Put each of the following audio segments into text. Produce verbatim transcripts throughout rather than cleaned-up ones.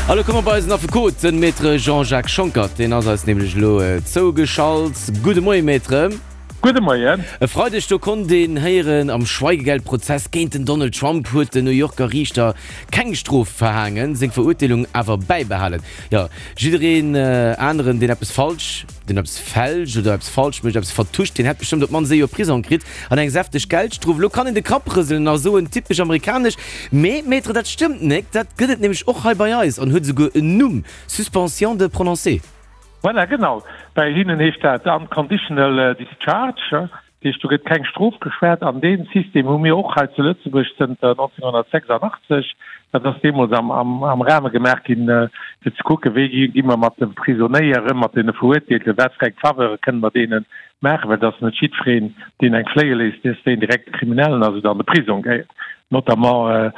Elo komme mer bei eisen Affekot, den Maître Jean-Jacques Schonckert, deen ass eis nämlech elo zougeschalt. Gudde Moien, Maître. Gudde Moien. E Freideg do konnt een héieren, am Schweigegeldprozess géint den Donald Trump huet den New Yorker Riichter keng Strof verhaangen, seng Verurteelung awer bäibehalen. Jo, jiddereen aneren, deen eppes falsch, deen eppes fälscht oder eppes falsch mécht, eppes vertuscht, deen hätt bestëmmt op d'mannst ee Joer Prisong kritt an eng säfteg Geldstrof. Elo kann een de Kapp rëselen a soen, typesch amerikanesch. Mee, Maître, dat stëmmt nek, dat gëtt et nämlech och hei bei eis an huet esouguer en Numm, Suspension de prononcé. Voilà, genau. Bei hinnen heescht dat unconditional discharge, dat heescht, do gëtt keng Strof geschwat. An dee System hu mir och hei zu Lëtzebuerg zënter nonzénghonnertsechsandachtzeg. Dat ass deemools am, am, am Rahme gemaach ginn, fir ze kucken, wéi gi mer mat de Prisonéieren, mat deene Verurteelte, wat fir eng Faveure kënne mer deene maachen, well et ass net jiddwereen, deen eng fléie léisst, dass deen direkt e Kriminellen ass oder an de Prisong gehéiert. Notamment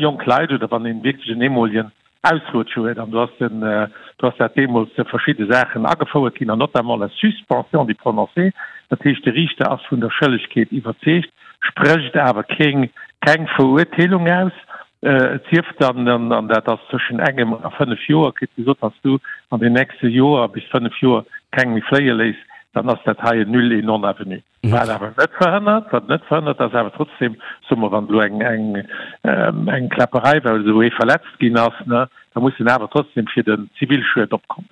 jonk Leit oder wann een wierklech en eemolegen Ausrutsch huet. An do ass den, do ass dat deemools verschidde Saachen agefouert ginn, an notamment la suspension du prononcé. Dat heescht, de Riichter ass vun der Schëllegkeet iwwerzeegt, sprécht awer keng, keng Verurteelung aus. Et sief dann, an dat ass tëschent engem a fënnef Joer, kritt gesot, wann s du an den nächste Joer bis fënnef Joer keng méi fléie léiss, dann ass dat hei en nul et non avenu. Wat awer net verhënnert, wat net verhënnert, dass awer trotzdem, soe mer, wann elo eng, eng, eng Kläpperei war oder esou, ee verletzt ginn ass, ne, da muss en awer trotzdem fir den Zivilschued opkommen.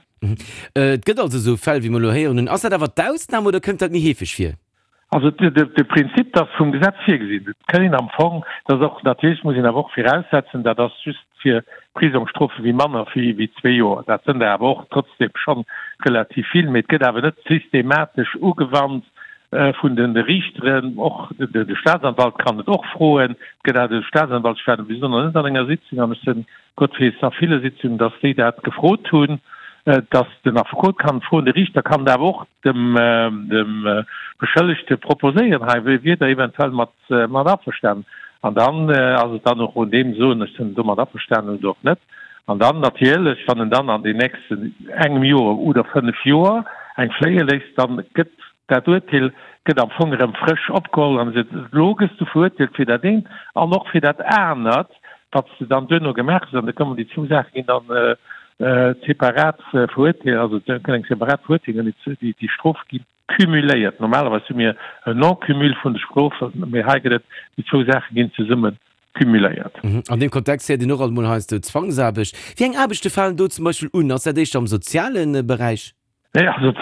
Et gëtt also esou Fäll, wéi mer elo héieren hunn. Ass dat awer d'Ausnam oder kënnt dat méi heefeg vir? Also de Prinzip, dat ass vum Gesetz virgesinn. Et kann een am Fong, dat ass och, natierlech muss een awer och viraussetzen, dat ass just fir Prisongsstrofe wéi manner wéi zwee Joer. Dat sënn der awer och trotzdem schonn relativ vill. Mee et gëtt awer net systematesch ugewannt vun de Riichteren. Och de Staatsanwalt kann et och froen. Et gëtt awer de Staatsanwalt, ech war bis elo nach net an enger Sitzung, an ech sinn Gott weess a ville Sitzungen, datt déi dat gefrot hunn, datt den Affekot kann et froen, de Riichter kann et awer och dem Beschëllegte proposéieren, hei wier Der eventuell mat averstanen. An dann ass et dann och un deem soen, ech sinn domat averstanen oder och net. An dann natierlech, wann en dann an den nächsten engem Joer oder fënnef Joer eng fléie léisst, dann gëtt dat Urteel gëtt am Fong erëm frësch opgeholl an seet, elo gëss du verurteelt fir dat eent an och fir dat anert, wat s de dann duerno gemaach hues. An da kommen déi zwou Saache ginn dann separat verurteelt, also et gëtt eng separat Verurteelung an déi Strofe gi cumuléiert. Normalerweis hu mir en Non-cumul vun de Strofen, mee hei gëtt et, déi zwou Saache ginn zesumme cumuléiert. An deem Kontext héiert een och alt emol heiansdo Zwangsaarbecht. Wéi eng Aarbechte falen do zum Beispill un? Ass dat éischter am soziale Beräich? Nee, also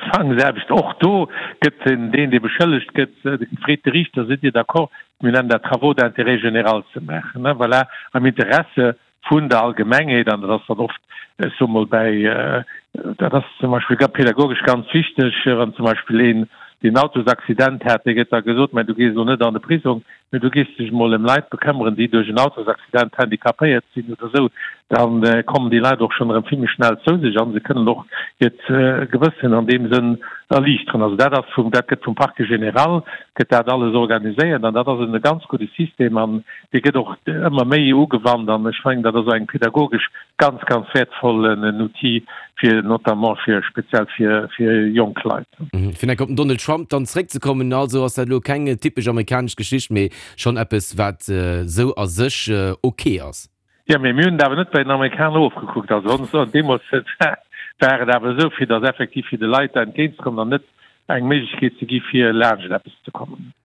Zwangsaarbecht, och do gëtt den, deen, dee beschëllegt gëtt, freet de Riichter, Sidd Dir d'accord, mir nennen dat Travaux d'intérêt général ze maachen, ne, voilà, am Interesse vun der Allgemengheet. An dat ass dann oft, ech soe mol, bäi, dat ass zum Beispill pädagogesch ganz wichteg, wann zum Beispill een, deen Autosaccident hat, dee gëtt da gesot, mä du gees elo net an de Prisong, mä du gees dech emol ëm Leit bekëmmeren, déi duerch en Autosaccident handicapéiert sinn oder esou, da kommen déi Leit och schonn erëm vill méi schnell zou sech a se kënnen och hiert Gewëssen an deem Sënn erliichteren. Also dat ass vum, dat gëtt vum Parquet général gëtt dat alles organiséiert an dat ass en ganz gudde System an dee gëtt och ëmmer méi ugewannt an ech mengen, dat ass och eng pädagogesch ganz, ganz wäertvollen Outil fir notamment fir speziell fir fir jonk Leit. Fir nach op den Donald Trump dann zréckzekommen, also ass dat elo keng typesch amerikanesch Geschicht, mee schonn eppes wat esou a sech ok ass. Jo, mee mir hunn et awer net bei den Amerikaner ofgekuckt. Also deemools war et awer esou, fir datt effektiv fir de Leit entgéintzekommen an net eng Méiglechkeet ze gi fir laanscht eppes ze kommen.